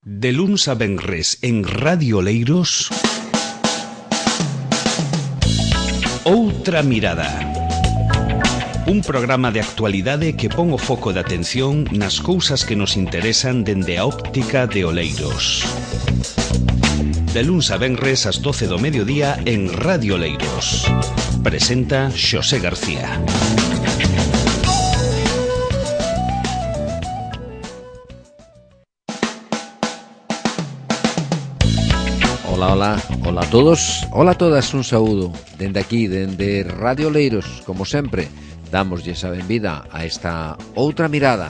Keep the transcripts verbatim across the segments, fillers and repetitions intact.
De luns a venres en Radio Oleiros, Outra Mirada. Un programa de actualidade que pon o foco de atención nas cousas que nos interesan dende a óptica de Oleiros. De luns a venres ás doce do mediodía en Radio Oleiros. Presenta Xosé García. Ola, ola, ola a todos, ola a todas, un saúdo dende aquí, dende Radio Oleiros, como sempre, damoslle a benvida a esta outra mirada.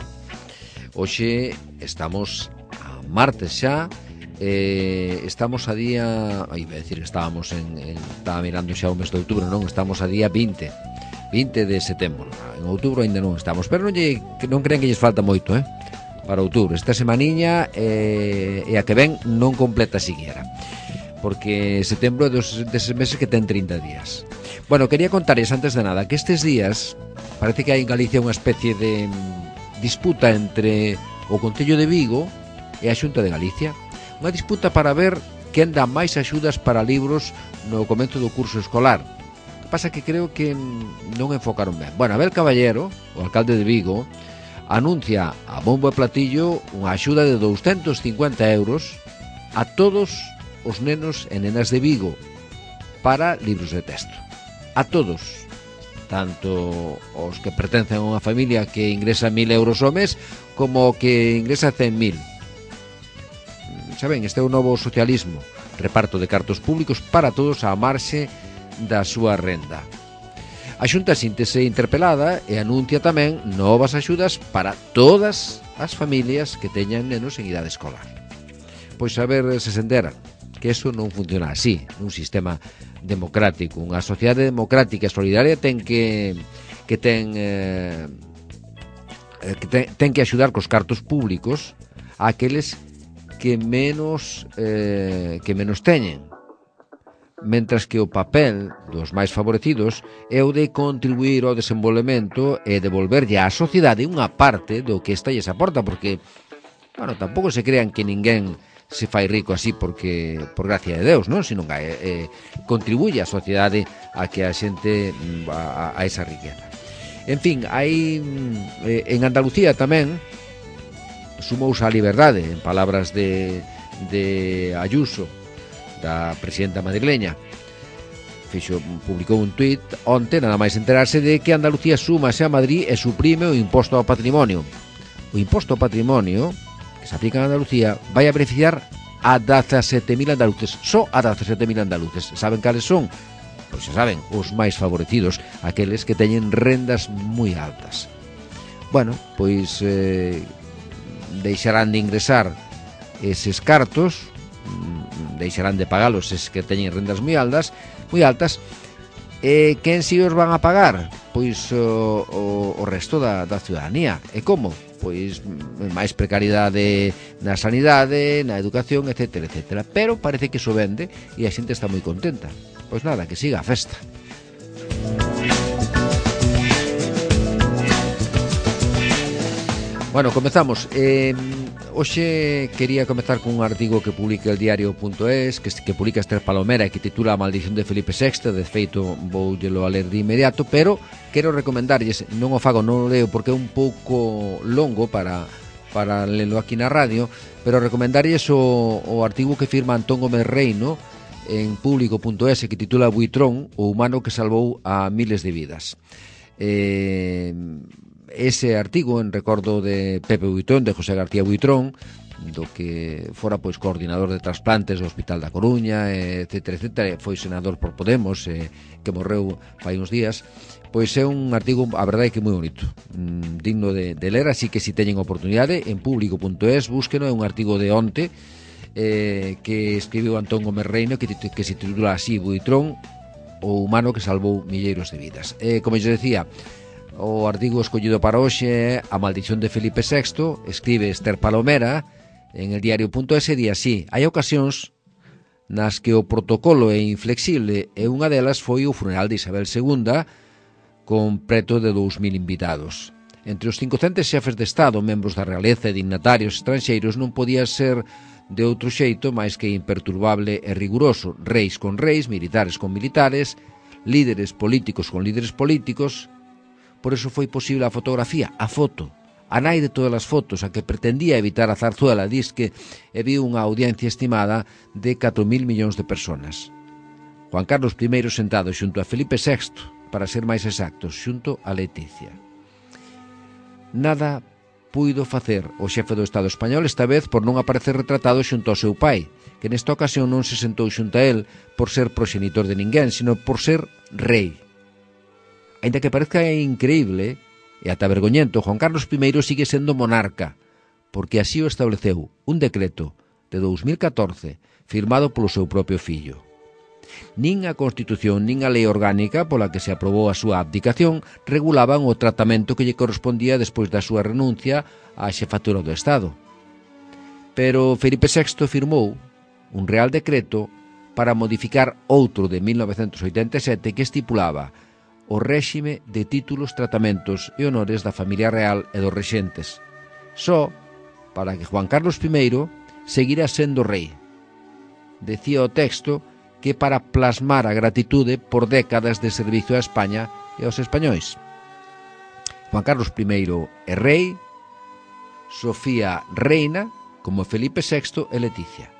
Hoxe estamos a martes xa, eh, estamos a día, ai, vai decir, estábamos en, en, estaba mirando xa o mes de outubro, non, estamos a día vinte de setembro, en outubro ainda non estamos, pero non, lle, non creen que lles falta moito, eh, para outubro, esta semaniña eh, e a que ven non completa siquiera, porque setembro é dos deses meses que ten trinta días. Bueno, quería contarles antes de nada que estes días parece que hai en Galicia unha especie de disputa entre o Concello de Vigo e a Xunta de Galicia, unha disputa para ver quen dá máis axudas para libros no comezo do curso escolar. O que pasa que creo que non enfocaron ben. Bueno, Abel Caballero, o alcalde de Vigo, anuncia a bombo e platillo unha axuda de douscentos cincuenta euros a todos os nenos e nenas de Vigo para libros de texto. A todos, tanto os que pertencen a unha familia que ingresa mil euros ao mes como o que ingresa cen mil. Saben, este é o novo socialismo, reparto de cartos públicos para todos á marxe da súa renda. A Xunta síntese interpelada e anuncia tamén novas axudas para todas as familias que teñan nenos en idade escolar. Pois a ver se se enteran que eso non funciona así, nun sistema democrático. Unha sociedade democrática e solidaria ten que que ten eh, que ten, ten que axudar cos cartos públicos a aqueles que menos eh, que menos teñen, mentras que o papel dos máis favorecidos é o de contribuir ao desenvolvemento e devolverlle á sociedade unha parte do que esta lles aporta, porque, bueno, tampouco se crean que ninguén se fai rico así porque por gracia de Deus, non? Sino que eh, contribuye a sociedade a que a xente a, a esa riqueza. En fin, hai eh, en Andalucía tamén sumouse a liberdade, en palabras de, de Ayuso, da presidenta madrileña. Fixo, publicou un tuit onte, nada máis enterarse de que Andalucía súmase a Madrid e suprime o imposto ao patrimonio. O imposto ao patrimonio que se aplica en Andalucía vai a beneficiar a dezasete mil andaluces, só a dezasete mil andaluces. Saben cales son? Pois xa saben, os máis favorecidos, aqueles que teñen rendas moi altas. Bueno, pois eh, deixarán de ingresar eses cartos, deixarán de pagalos eses que teñen rendas moi altas, moi altas. E quen si os van a pagar? Pois o, o, o resto da, da ciudadanía. E como? Pois máis precariedade na sanidade, na educación, etcétera, etcétera. Pero parece que iso vende e a xente está moi contenta. Pois nada, que siga a festa. Bueno, comezamos. Eh, hoxe quería comezar con un artigo que publica el diario punto es, que, que publica Esther Palomera e que titula A maldición de Felipe sexto. De feito, voullelo a ler de inmediato, pero quero recomendarlles, non o fago, non o leo porque é un pouco longo para, para lelo aquí na radio, pero recomendarlles o, o artigo que firma Antón Gómez Reino en público punto es, que titula Buitrón, o humano que salvou a miles de vidas. Eh... Ese artigo en recordo de Pepe Buitrón, de José García Buitrón, do que fora pois coordinador de trasplantes do Hospital da Coruña, etcétera, etcétera, foi senador por Podemos, eh, que morreu fai uns días. Pois é un artigo, a verdade, que moi bonito, mm, digno de, de ler, así que se si teñen oportunidade, en público punto es, búsqueno, é un artigo de onte eh, que escribiu Antón Gómez Reino, que, que se titula así, Buitrón, o humano que salvou milleiros de vidas. Eh, como eu decía, o artigo escollido para hoxe é A maldición de Felipe sexto, escribe Esther Palomera en el diario punto es e di así: hai ocasións nas que o protocolo é inflexible e unha delas foi o funeral de Isabel segunda con preto de dous mil invitados. Entre os cincocentos xefes de Estado, membros da realeza e dignatarios estranxeiros, non podía ser de outro xeito máis que imperturbable e riguroso, reis con reis, militares con militares, líderes políticos con líderes políticos. Por eso foi posible a fotografía, a foto, a nai de todas as fotos, a que pretendía evitar a Zarzuela, disque e viu unha audiencia estimada de catro mil millóns de personas. Juan Carlos primeiro sentado xunto a Felipe sexto, para ser máis exactos, xunto a Leticia. Nada puido facer o xefe do Estado español esta vez por non aparecer retratado xunto ao seu pai, que nesta ocasión non se sentou xunto a él por ser proxenitor de ninguén, sino por ser rei. Ainda que parezca increíble e ata vergoñento, Juan Carlos primeiro sigue sendo monarca, porque así o estableceu un decreto de dous mil catorce firmado polo seu propio fillo. Nin a Constitución nin a lei orgánica pola que se aprobou a súa abdicación regulaban o tratamento que lle correspondía despois da súa renuncia á xefatura do Estado. Pero Felipe sexto firmou un real decreto para modificar outro de mil novecentos oitenta e sete que estipulaba o réxime de títulos, tratamentos e honores da familia real e dos rexentes, só para que Juan Carlos primeiro seguira sendo rei. Decía o texto que para plasmar a gratitude por décadas de servicio a España e aos españois. Juan Carlos primeiro é rei, Sofía reina, como Felipe sexto e Leticia.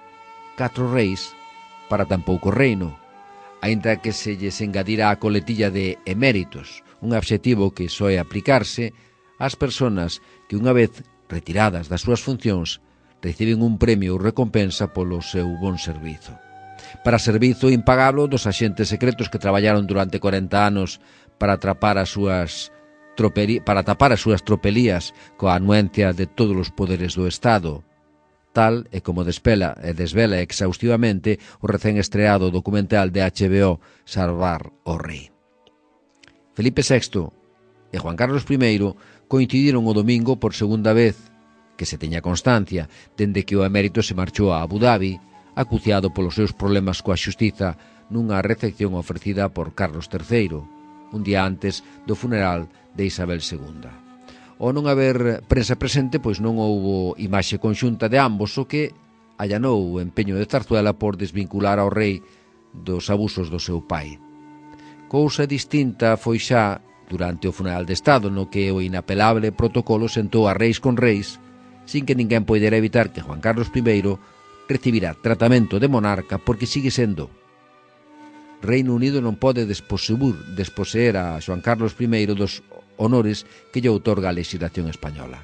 Catro reis para tan pouco reino, aínda que se lles engadira a coletilla de eméritos, un adxetivo que soe aplicarse ás persoas que unha vez retiradas das súas funcións reciben un premio ou recompensa polo seu bon servizo. Para servizo impagable dos axentes secretos que traballaron durante corenta anos para atrapar as súas troperi, para tapar as súas tropelías coa anuencia de todos os poderes do Estado, tal e como despela e desvela exhaustivamente o recén estreado documental de H B O Salvar o Rei. Felipe sexto e Juan Carlos primeiro coincidiron o domingo por segunda vez, que se teña constancia, dende que o emérito se marchou a Abu Dhabi, acuciado polos seus problemas coa xustiza nunha recepción ofrecida por Carlos terceiro, un día antes do funeral de Isabel segunda. Ao non haber prensa presente, pois non houbo imaxe conxunta de ambos, o que allanou o empeño de Zarzuela por desvincular ao rei dos abusos do seu pai. Cousa distinta foi xa durante o funeral de Estado, no que o inapelable protocolo sentou a reis con reis, sin que ninguén poidera evitar que Juan Carlos primeiro recibirá tratamento de monarca porque sigue sendo. Reino Unido non pode desposeer, desposeer a Juan Carlos primeiro dos honores que lle outorga a legislación española.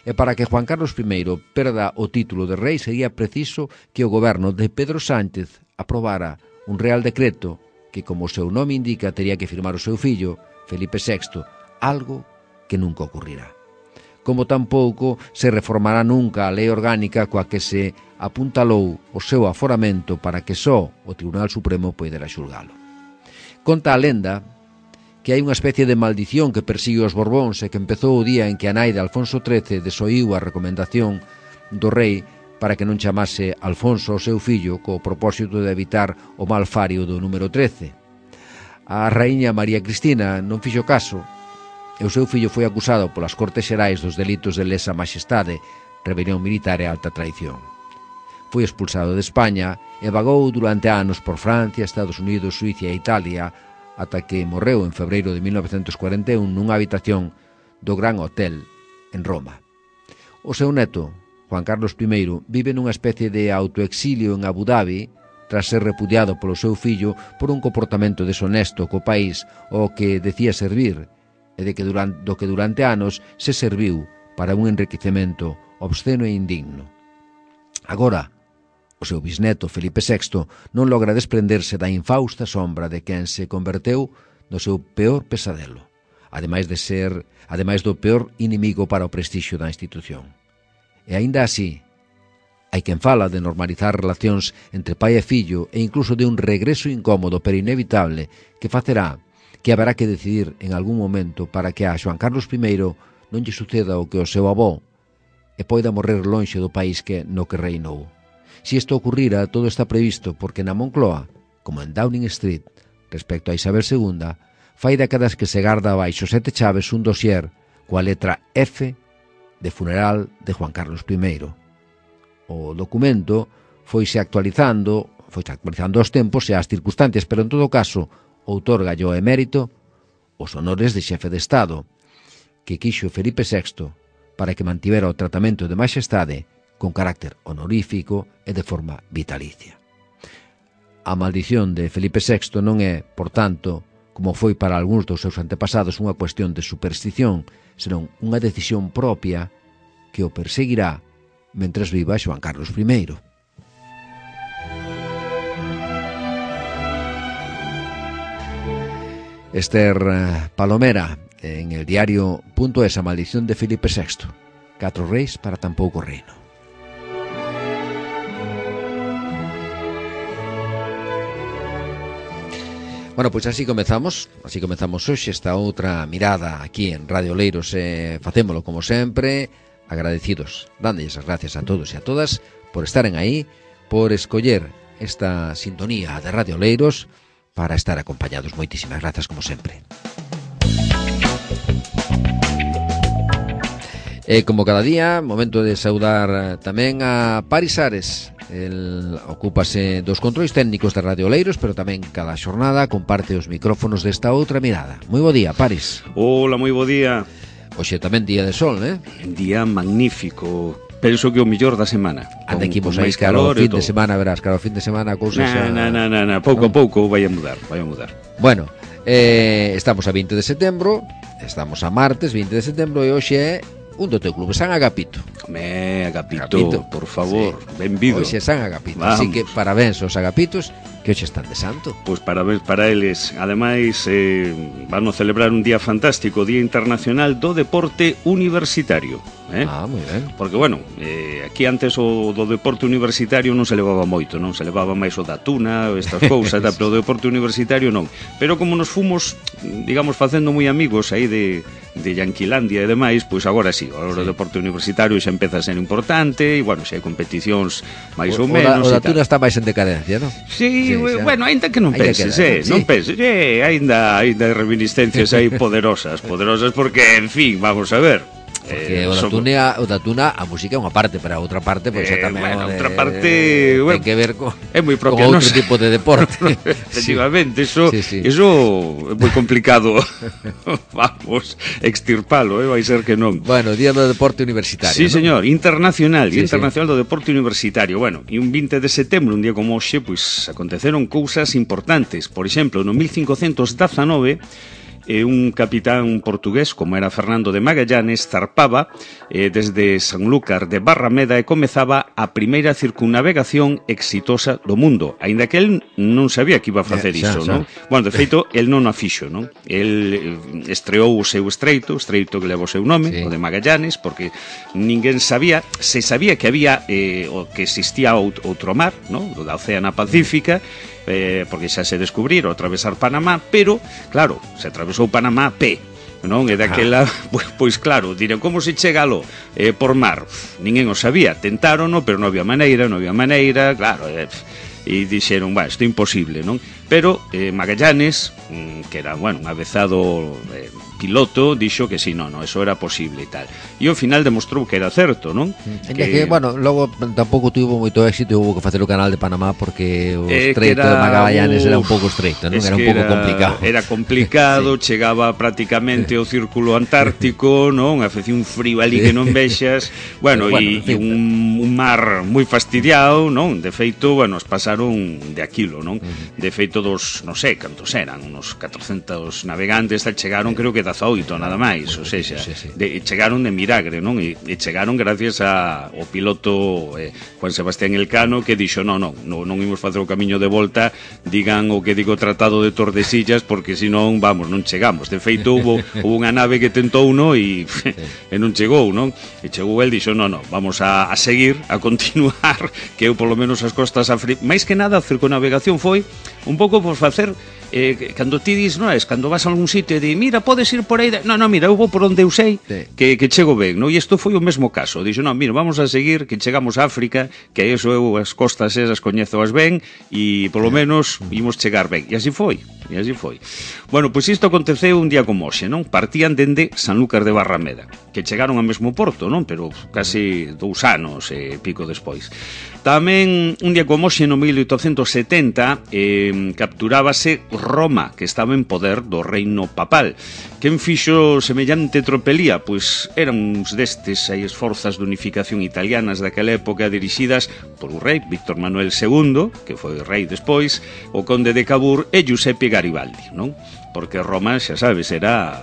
E para que Juan Carlos primeiro perda o título de rei sería preciso que o goberno de Pedro Sánchez aprobara un real decreto que, como o seu nome indica, tería que firmar o seu fillo, Felipe sexto, algo que nunca ocurrirá. Como tampouco se reformará nunca a lei orgánica coa que se apuntalou o seu aforamento para que só o Tribunal Supremo poidera xulgalo. Conta a lenda que hai unha especie de maldición que persigue os Borbóns e que empezou o día en que a nai de Alfonso trece desoíu a recomendación do rei para que non chamase Alfonso ao seu fillo co propósito de evitar o mal fario do número trece. A raíña María Cristina non fixo caso e o seu fillo foi acusado polas Cortes Xerais dos delitos de lesa majestade, rebelión militar e alta traición. Foi expulsado de España e vagou durante anos por Francia, Estados Unidos, Suiza e Italia, ata que morreu en febreiro de mil novecentos cuarenta e un nunha habitación do Gran Hotel en Roma. O seu neto, Juan Carlos primeiro, vive nunha especie de autoexilio en Abu Dhabi tras ser repudiado polo seu fillo por un comportamento deshonesto co país ao que decía servir e de que durante, do que durante anos se serviu para un enriquecemento obsceno e indigno. Agora, o seu bisneto Felipe sexto non logra desprenderse da infausta sombra de quen se converteu no seu peor pesadelo, ademais de ser, ademais do peor inimigo para o prestixio da institución. E aínda así, hai quen fala de normalizar relacións entre pai e fillo e incluso de un regreso incómodo pero inevitable que facerá que haberá que decidir en algún momento para que a Juan Carlos primeiro non lle suceda o que o seu avó e poida morrer lonxe do país que no que reinou. Si isto ocurrira, todo está previsto porque na Moncloa, como en Downing Street, respecto a Isabel segunda, fai décadas que se garda baixo sete chaves un dossier coa letra F de funeral de Juan Carlos primeiro. o documento foise actualizando, foise actualizando os tempos e as circunstancias, pero en todo caso outorga o emérito os honores de xefe de Estado que quixo Felipe sexto para que mantivera o tratamento de majestade con carácter honorífico e de forma vitalicia. A maldición de Felipe sexto non é, por tanto, como foi para algúns dos seus antepasados, unha cuestión de superstición, senón unha decisión propia que o perseguirá mentres viva Xoán Carlos primeiro. Esther Palomera, en el diario punto es, a maldición de Felipe sexto. Catro reis para tan pouco reino. Bueno, pois así comezamos, así comezamos hoxe esta outra mirada aquí en Radio Oleiros, e facémolo como sempre, agradecidos, dándoles as gracias a todos e a todas por estaren aí, por escoller esta sintonía de Radio Oleiros para estar acompañados. Moitísimas grazas como sempre. E como cada día, momento de saudar tamén a Paris Ares. El ocúpase dos controis técnicos de Radio Oleiros, pero tamén cada xornada comparte os micrófonos desta outra mirada. Moi bo día, Paris. Hola, moi bo día. Hoxe tamén día de sol, eh? Día magnífico. Penso que o mellor da semana. Anda aquí mos aí calor, fin de semana, verás, claro, fin de semana a cousa xa... Na, na, na, na, pouco a pouco vai a mudar, vai a mudar. Bueno, eh, estamos a vinte de setembro, estamos a martes, vinte de setembro, e hoxe é un do teu clube, San Agapito. Me, Agapito, Agapito, por favor, sí. Benvido. Hoxe é San Agapito, Vamos. Así que parabéns aos Agapitos que hoxe están de santo. Pois parabéns para eles. Ademais, eh, van a celebrar un día fantástico, Día Internacional do Deporte Universitario. Eh? Ah, moi ben. Porque, bueno, eh, aquí antes o do deporte universitario non se levaba moito, non? Se levaba máis o da tuna, estas cousas, sí, pero o deporte universitario non. Pero como nos fomos, digamos, facendo moi amigos aí de, de Yanquilandia e demais, pois agora sí, agora sí. O deporte universitario xa empeza a ser importante, e, bueno, xa hai competicións máis o, ou menos. O da, o da tuna está máis en decadencia, non? Sí, sí, bueno, ainda que non penses, eh, non penses, eh, ainda, ainda hai reminiscencias aí poderosas, poderosas porque, en fin, vamos a ver. Porque eh, o, da tuna, o da tuna a música é unha parte, pero a outra parte pois pues, é eh, tamén bueno, de, outra parte, bueno, ten que ver con, é moi propia, con outro tipo de deporte. Efectivamente, eso, sí, sí. eso é moi complicado. Vamos, extirpalo, eh, vai ser que non. Bueno, Día do Deporte Universitario. Sí, ¿no? señor, internacional, sí, internacional sí. do Deporte Universitario. Bueno, e un vinte de setembro, un día como hoxe, pois aconteceron cousas importantes. Por exemplo, no mil cincocentos dezanove, E un capitán portugués, como era Fernando de Magallanes, zarpaba eh, desde Sanlúcar de Barrameda e comezaba a primeira circunnavegación exitosa do mundo, aínda que el non sabía que iba a facer iso, non? Bueno, de feito, el non o fixo, non? El estreou o seu estreito, o estreito que leva o seu nome, sí. O de Magallanes, porque ninguén sabía, se sabía que había, eh, o que existía outro mar, non? Da Oceana Pacífica, Eh, porque xa se descubriron atravesar Panamá, pero, claro, se atravesou Panamá a pé, non? E daquela, ah. pois, pois claro, dirán, como se chega alo eh, por mar? Ninguén o sabía, tentárono, pero non había maneira, non había maneira, claro, eh, e dixeron, bueno, isto é imposible, non? Pero eh, Magallanes, que era, bueno, un avezado eh, piloto, dixo que sí, non, non, eso era posible e tal. E ao final demostrou que era certo, non? Que, que bueno, logo tampouco tuvo moito éxito e hubo que facer o canal de Panamá porque o eh, estreito de Magallanes uf, era un pouco estreito, non? Era un pouco era, complicado. Era complicado, sí. Chegaba prácticamente ao círculo antártico, non? Facía un frío ali que non vexas. Bueno, e bueno, un, un mar moi fastidiado, non? De feito, bueno, os pasaron de aquilo, non? De feito dos, non sei, cantos eran, unos catrocentos navegantes, chegaron, creo que dezaoito nada máis, ou seja, sí, sí. De, chegaron de milagre, non? E, e chegaron gracias a, ao piloto eh, Juan Sebastián Elcano, que dixo, non, non, non, non imos facer o camiño de volta, digan o que digo Tratado de Tordesillas, porque senón, vamos, non chegamos. De feito, hubo, hubo unha nave que tentou, non? E, sí. E non chegou, non? E chegou el, dixo, non, non, vamos a, a seguir, a continuar, que eu, polo menos, as costas africanas, máis que nada, a circunnavegación foi un pouco por facer eh, cando ti dis, non é, cando vas a algún sitio e di, mira, podes ir por aí, de... non, non, mira, eu vou por onde eu sei sí. que, que chego ben, non? E isto foi o mesmo caso, dixo, non, mira, vamos a seguir que chegamos a África, que eso eu as costas esas coñezoas ben e polo menos imos chegar ben, e así foi. E así foi. Bueno, pois isto aconteceu un día como hoxe, non? Partían dende Sanlúcar de Barrameda, que chegaron ao mesmo porto, non? Pero casi dous anos e pico despois. Tamén un día como hoxe no mil oitocentos setenta eh, capturábase Roma, que estaba en poder do reino papal. Quen fixo semellante tropelía? Pois eran uns destes aí esforzas de unificación italianas daquela época dirixidas por o rei Víctor Manuel segundo, que foi rei despois, o conde de Cavour e Giuseppe Garibaldi, non? Porque Roma, xa sabes, era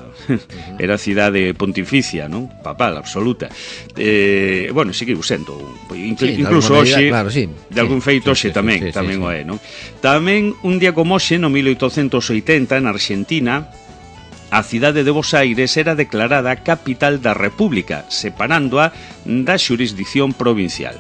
era cidade pontificia, non? Papal, absoluta. Eh, bueno, seguiu sendo, inclu, sí, incluso hoxe, claro, sí. de algún sí, feito hoxe sí, sí, tamén, sí, sí, tamén sí, o é, non? Tamén un día como hoxe, no mil oitocentos oitenta, en Argentina, a cidade de Bos Aires era declarada capital da República, separándoa da xurisdicción provincial.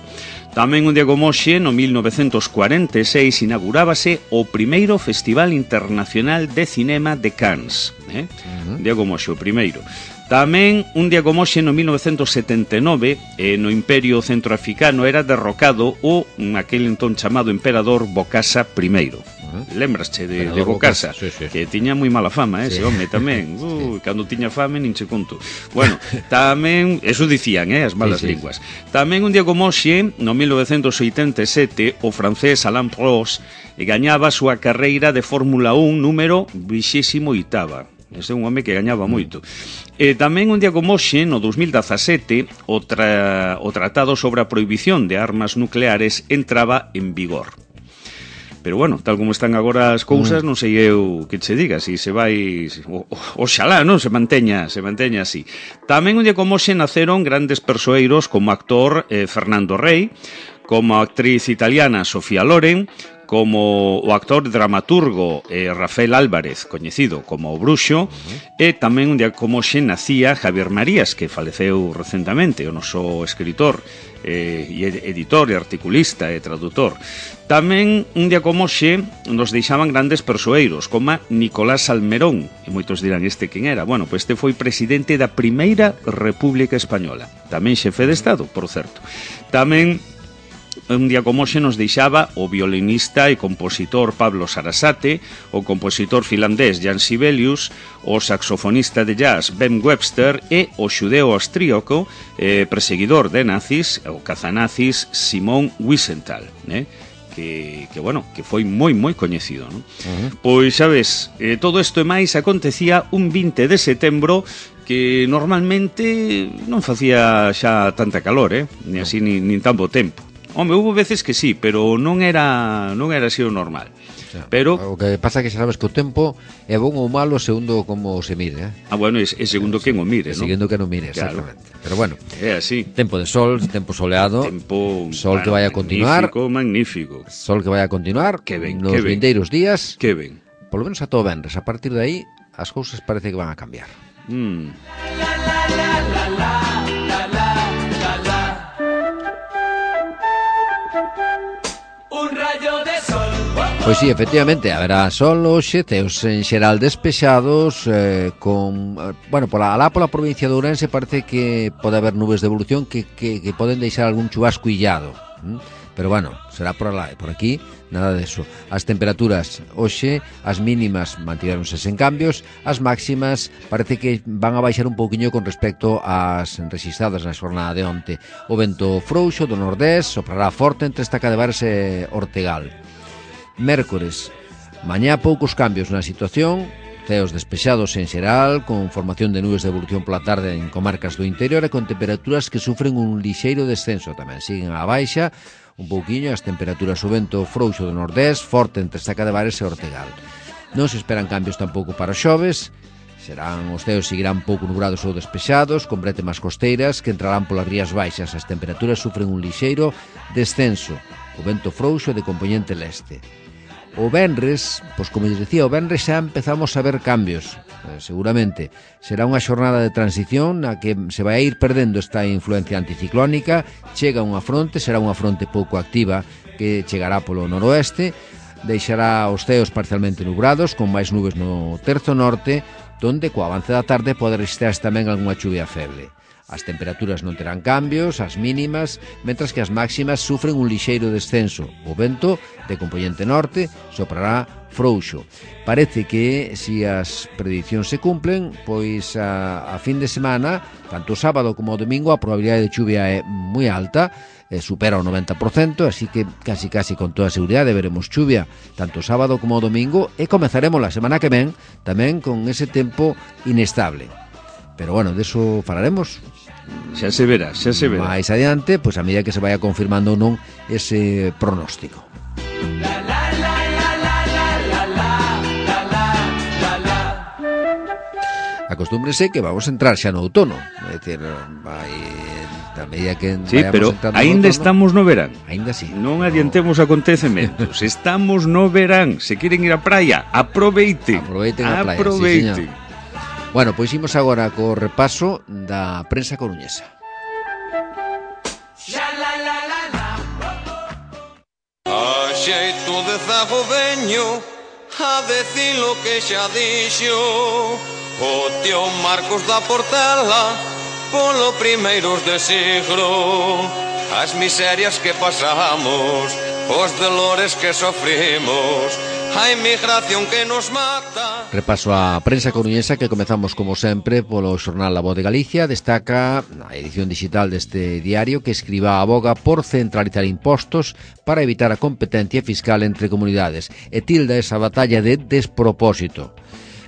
Tamén un día como hoxe, no mil novecentos cuarenta e seis, inaugurábase o primeiro Festival Internacional de Cinema de Cannes. Eh? Uh-huh. Un día como hoxe, o primeiro. Tamén un día como hoxe, no mil novecentos setenta e nove, eh, no Imperio Centroafricano era derrocado o aquel entón chamado emperador Bokassa primeiro. Lembrasche de, de Bokassa, sí, sí. Que tiña moi mala fama, eh, ese sí. home tamén. Uh, sí. Cando tiña fame, nin che conto. Bueno, tamén, eso dicían, eh, as malas sí, sí. linguas. Tamén un día como hoxe, no mil novecentos oitenta e sete, o francés Alain Prost gañaba a súa carreira de Fórmula un número vinte e oito. Ese é un home que gañaba moito. E tamén un día como hoxe, no dos mil dezasete, o, tra... o Tratado sobre a Prohibición de Armas Nucleares entraba en vigor. Pero bueno, tal como están agora as cousas, mm. non sei eu que che diga, se se vai, o, o, oxalá, non, se manteña, se manteña así. Tamén un día como hoxe naceron grandes persoeiros como actor eh, Fernando Rey, como actriz italiana Sofía Loren, como o actor dramaturgo eh, Rafael Álvarez, coñecido como o Bruxo, uh-huh. e tamén un día como hoxe nacía Javier Marías, que faleceu recentemente, o noso escritor, eh, e editor, e articulista e traductor. Tamén un día como hoxe nos deixaban grandes persoeiros, como Nicolás Salmerón, e moitos dirán este quen era. Bueno, pois este foi presidente da Primeira República Española, tamén xefe de Estado, por certo. Tamén un día como hoxe nos deixaba o violinista e compositor Pablo Sarasate, o compositor finlandés Jan Sibelius, o saxofonista de jazz Ben Webster e o xudeo austríaco eh, perseguidor de nazis, o cazanazis Simón Wiesenthal, eh? Que, que, bueno, que foi moi, moi coñecido, non? Uh-huh. Pois, sabes, eh, todo isto e máis acontecía un vinte de setembro que normalmente non facía xa tanta calor, eh? Ni así, ni, nin tan bo tempo. Home, houve veces que sí, pero non era non era así o normal. O sea, pero o que pasa é que xa sabes que o tempo é bon ou malo segundo como se mire, eh? Ah, bueno, é, é segundo quen o mire, non? Segundo quen o mire, claro. Exactamente. Pero bueno, é así. Tempo de sol, tempo soleado, tempo, sol bueno, que vai a continuar. Magnífico, magnífico. Sol que vai a continuar que ben, nos que ben. vindeiros días. Que ben. Polo menos a todo venres, a partir de aí as cousas parece que van a cambiar. Mm. Pois sí, efectivamente, haberá sol hoxe, teos en xeral despexados, eh, con, bueno, pola, alá pola provincia de Ourense parece que pode haber nubes de evolución que, que, que poden deixar algún chubasco illado, ¿m? Pero bueno, será por alá, por aquí, nada de eso. As temperaturas hoxe, as mínimas mantiveronse sen cambios, as máximas parece que van a baixar un pouquiño con respecto ás rexistradas na xornada de onte. O vento frouxo do nordés soprará forte entre Estacadevares e Ortegal. Mércores, mañá poucos cambios na situación, ceos despexados en xeral, con formación de nubes de evolución pola tarde en comarcas do interior e con temperaturas que sufren un lixeiro descenso tamén. Siguen a baixa un pouquiño as temperaturas, o vento frouxo do nordés, forte entre Estacadevares e Ortegal. Non se esperan cambios tampouco para os xoves, serán os ceos seguirán pouco nubrados ou despexados, con brétemas costeiras que entrarán polas rías baixas. As temperaturas sufren un lixeiro descenso, o vento frouxo de compoñente leste. O venres, pois como les decía, o venres xa empezamos a ver cambios, eh, seguramente. Será unha xornada de transición na que se vai a ir perdendo esta influencia anticiclónica, chega unha fronte, será unha fronte pouco activa que chegará polo noroeste, deixará os ceos parcialmente nubrados, con máis nubes no terzo norte, donde co avance da tarde pode registrarse tamén algunha chuvia feble. As temperaturas non terán cambios, as mínimas, mentras que as máximas sufren un lixeiro descenso. O vento, de compoñente norte, soprará frouxo. Parece que, se as predicións se cumplen, pois a, a fin de semana, tanto o sábado como o domingo, a probabilidade de chuvia é moi alta, eh, supera o noventa por cento, así que casi casi con toda a seguridade veremos chuvia tanto o sábado como o domingo, e comezaremos a semana que ven tamén con ese tempo inestable. Pero bueno, deso falaremos xa se verá, xa se verá máis adiante, pois a medida que se vaya confirmando ou non ese pronóstico. Acostúmbrese que vamos a entrar xa no outono, é dicir, vai a medida que sí, pero aínda estamos no verán. Aínda sí. Non adiantemos acontecementos. Estamos no verán. Se queren ir á praia, aproveiten. Aproveiten a praia, aproveiten. Sí, bueno, pois imos agora co repaso da prensa coruñesa. A xeito de zago veño a decir lo que xa dixo o tío Marcos da Portela polo primeiros de siglo. As miserias que pasamos, os dolores que sofrimos, a inmigración que nos mata. Repaso a prensa coruñesa que comezamos como sempre polo xornal La Voz de Galicia. Destaca a edición digital deste diario que Escrivá aboga por centralizar impostos para evitar a competencia fiscal entre comunidades e tilda esa batalla de despropósito.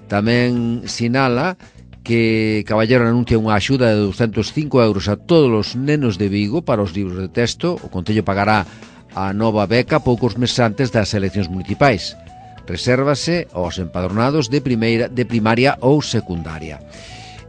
Tamén sinala que Caballero anuncia unha axuda de ducentos cinco euros a todos os nenos de Vigo para os libros de texto. O Concello pagará a nova beca poucos meses antes das eleccións municipais. Resérvase aos empadronados de primeira, de primaria ou secundaria.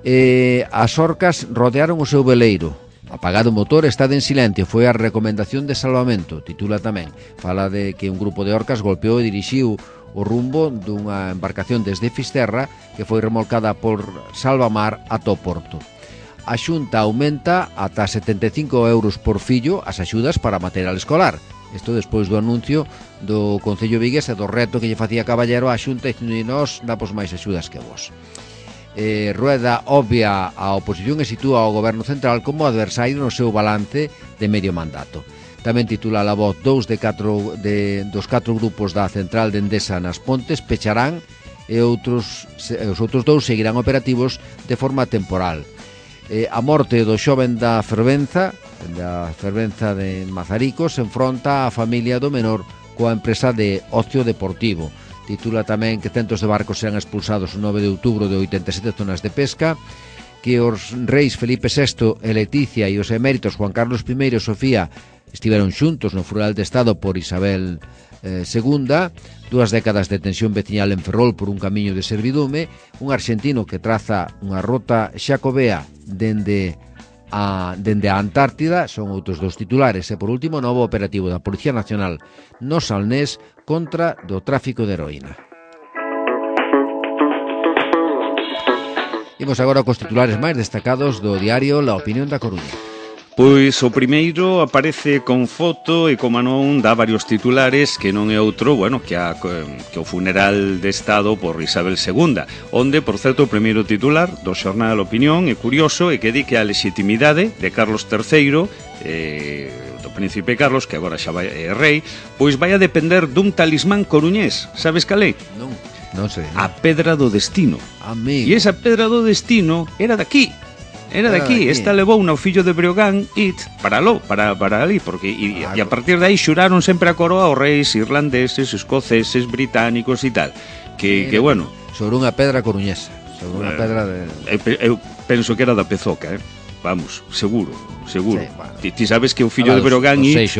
E as orcas rodearon o seu veleiro. Apagado o motor, está en silencio. Foi a recomendación de salvamento, titula tamén. Fala de que un grupo de orcas golpeou e dirixiu o rumbo dunha embarcación desde Fisterra que foi remolcada por Salvamar ata o porto. A Xunta aumenta ata setenta e cinco euros por fillo as axudas para material escolar. Isto despois do anuncio do Concello Vigués e do reto que lle facía Caballero á Xunta dicindo que nós damos máis axudas que vos. Eh, Rueda obvia a oposición e sitúa ao Goberno Central como adversario no seu balance de medio mandato. Tamén titula La Voz, dous de catro de, dos catro grupos da central de Endesa nas Pontes pecharán e outros, os outros dous seguirán operativos de forma temporal. Eh, a morte do xoven da Fervenza, da Fervenza de Mazaricos, se enfronta a familia do menor coa empresa de ocio deportivo. Titula tamén que centos de barcos serán expulsados o nove de outubro de oitenta e sete zonas de pesca, que os reis Felipe sexto e Leticia e os eméritos Juan Carlos primeiro e Sofía estiveron xuntos no funeral de Estado por Isabel eh, segunda, dúas décadas de tensión veciñal en Ferrol por un camiño de servidume, un arxentino que traza unha rota xacobea dende a, dende a Antártida, son outros dos titulares, e por último, novo operativo da Policía Nacional no Salnés contra do tráfico de heroína. Imos agora cos titulares máis destacados do diario La Opinión da Coruña. Pois o primeiro aparece con foto e, como non, dá varios titulares que non é outro, bueno, que, a, que o funeral de Estado por Isabel segunda, onde, por certo, o primeiro titular do xornal Opinión é curioso e que di que a legitimidade de Carlos terceiro, eh, do príncipe Carlos, que agora xa vai, é rei, pois vai a depender dun talismán coruñés. Sabes cal é? Non, non sei. A Pedra do Destino. Amigo. E esa Pedra do Destino era daqui. Era de aquí, esta levou no fillo de Breogán it para lo, para, para ali, porque e, e a partir de aí xuraron sempre a coroa aos reis irlandeses, escoceses, británicos e tal. Que, que bueno, sobre unha pedra coruñesa, sobre unha eh, pedra de... Eu, eu penso que era da Pezoca, eh? Vamos, seguro, seguro. Sí, bueno. ti, ti sabes que o fillo de Breogán it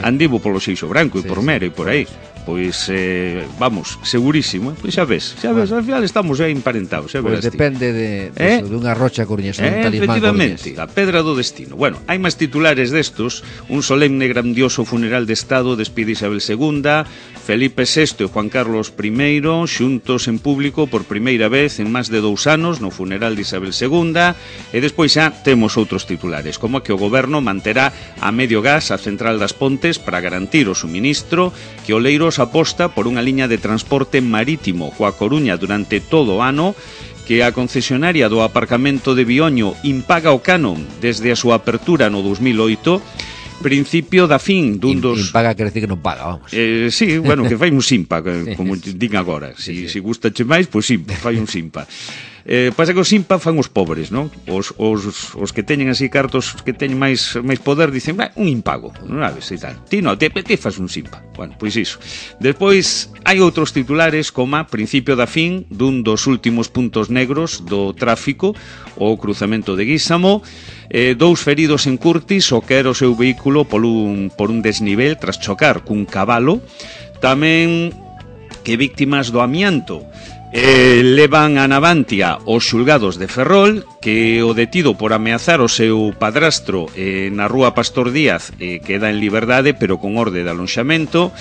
andivo polo Seixo Branco e sí, por Mero e por aí. Pois, eh, vamos, segurísimo, pois xa ves, xa ves, bueno, ao final estamos aí emparentados, xa pois verás. Pois depende de, de, eh? de unha rocha coruñesa, eh, un talismán efectivamente, coruñés. A Pedra do Destino. Bueno, hai máis titulares destos, un solemne grandioso funeral de Estado despide Isabel segunda, Felipe sexto e Juan Carlos primeiro xuntos en público por primeira vez en máis de dous anos no funeral de Isabel segunda, e despois xa temos outros titulares, como que o goberno manterá a medio gas a central das Pontes para garantir o suministro, que Oleiros aposta por unha liña de transporte marítimo coa Coruña durante todo o ano, que a concesionaria do aparcamento de Bioño impaga o canon desde a súa apertura no dos mil oito, principio da fin dun dos... Impaga quer decir que non paga, vamos. Eh, sí, bueno, que fai un simpa, como din agora. Si, sí, sí. Si gustache máis, pois simpa, fai un simpa. Eh, pasa que os simpa fan os pobres, non? Os, os, os que teñen así cartos, que teñen máis máis poder, dicen, un impago, non sabes, e tal. Ti non, te, te faz un simpa. Bueno, pois iso. Despois, hai outros titulares como a principio da fin dun dos últimos puntos negros do tráfico, o cruzamento de Guísamo, eh, dous feridos en Curtis, o que era o seu vehículo por un, por un desnivel tras chocar cun cabalo, tamén que víctimas do amianto. Eh, levan a Navantia os xulgados de Ferrol, que o detido por ameazar o seu padrastro eh, na rúa Pastor Díaz eh, queda en liberdade, pero con orde de alonxamento.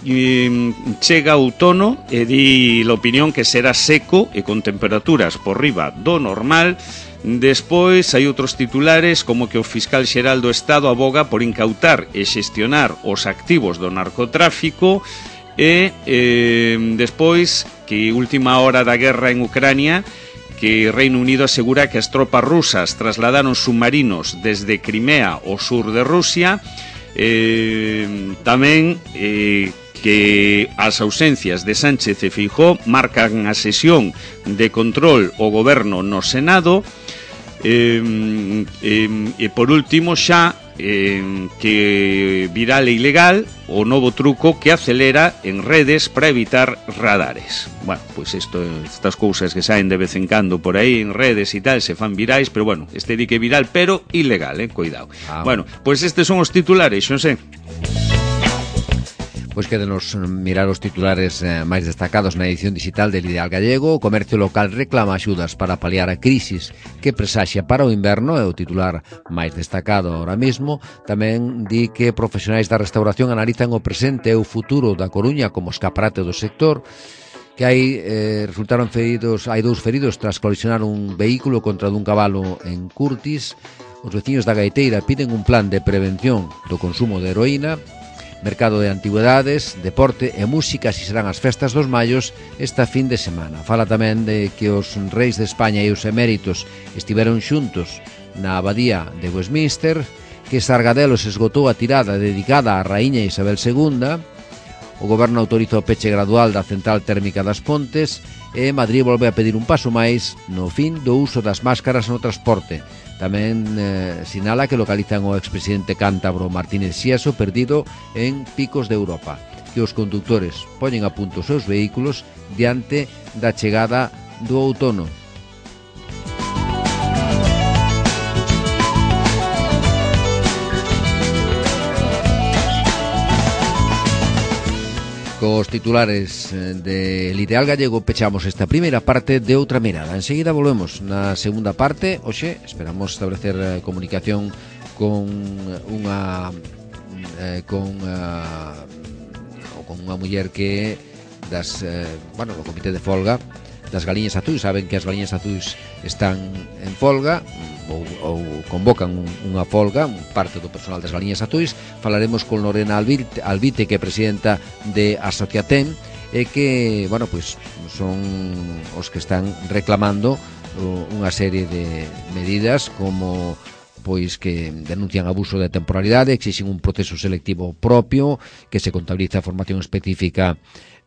E, chega o outono e di a opinión que será seco e con temperaturas por riba do normal. Despois hai outros titulares como que o fiscal xeral do Estado aboga por incautar e xestionar os activos do narcotráfico. E eh, despois que última hora da guerra en Ucrania, que Reino Unido asegura que as tropas rusas trasladaron submarinos desde Crimea ao sur de Rusia. eh, tamén eh, que as ausencias de Sánchez e Feijóo marcan a sesión de control ao goberno no Senado. eh, eh, e por último xa Eh, que viral e ilegal o novo truco que acelera en redes para evitar radares. Bueno, pois pues isto, estas cousas que saen de vez en cando por aí en redes e tal, se fan virais, pero bueno, este di que viral, pero ilegal, eh, cuidado. Ah, bueno, pois pues estes son os titulares, non sei. Pois quédenos mirar os titulares eh, máis destacados na edición digital del Ideal Gallego. O comercio local reclama axudas para paliar a crisis que presaxia para o inverno, é o titular máis destacado ahora mismo. Tamén di que profesionais da restauración analizan o presente e o futuro da Coruña como escaparate do sector, que hai eh, resultaron feridos, hai dous feridos tras colisionar un vehículo contra dun cabalo en Curtis. Os veciños da Gaiteira piden un plan de prevención do consumo de heroína. Mercado de antigüedades, deporte e música, así serán as festas dos mallos esta fin de semana. Fala tamén de que os reis de España e os eméritos estiveron xuntos na abadía de Westminster, que Sargadelos esgotou a tirada dedicada á raíña Isabel segunda, o goberno autoriza o peche gradual da central térmica das Pontes e Madrid volve a pedir un paso máis no fin do uso das máscaras no transporte. Tamén eh, sinala que localizan o expresidente cántabro Martínez Xiaso perdido en Picos de Europa, que os condutores poñen a punto os seus vehículos diante da chegada do outono. Cos titulares del Ideal Gallego pechamos esta primeira parte de Outra Mirada. Enseguida volvemos na segunda parte. Hoxe esperamos establecer comunicación con unha eh, con uh, con unha muller que das eh, bueno, do comité de folga das Galiñas Azuis. Saben que as Galiñas Azuis están en folga ou, ou convocan un, unha folga, parte do personal das Galiñas Azuis. Falaremos con Lorena Albite, Albite que é presidenta de Asociatem e que, bueno, pois son os que están reclamando unha serie de medidas como pois que denuncian abuso de temporalidade, exixen un proceso selectivo propio, que se contabiliza a formación específica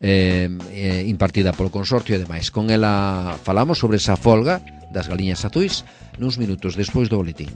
eh, eh, impartida polo consorcio e demais. Con ela falamos sobre esa folga das Galiñas Azuis nuns minutos despois do boletín.